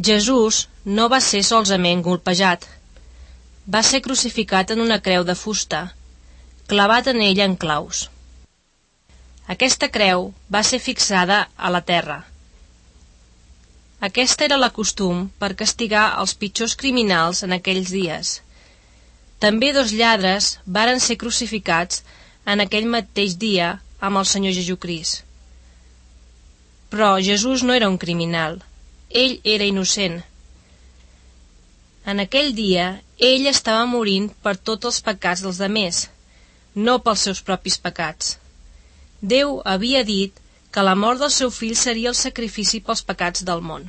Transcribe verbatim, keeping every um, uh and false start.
Jesús no va ser solament golpejat. Va ser crucificat en una creu de fusta, clavat en ella en claus. Aquesta creu va ser fixada a la terra. Aquest era el costum per castigar els pitjors criminals en aquells dies. També dos lladres varen ser crucificats en aquell mateix dia amb el Senyor Jesucrist. Però Jesús no era un criminal, ell era innocent. En aquell dia, ell estava morint per tots els pecats dels demés, no pels seus propis pecats. Déu havia dit que la mort del seu fill seria el sacrifici pels pecats del món.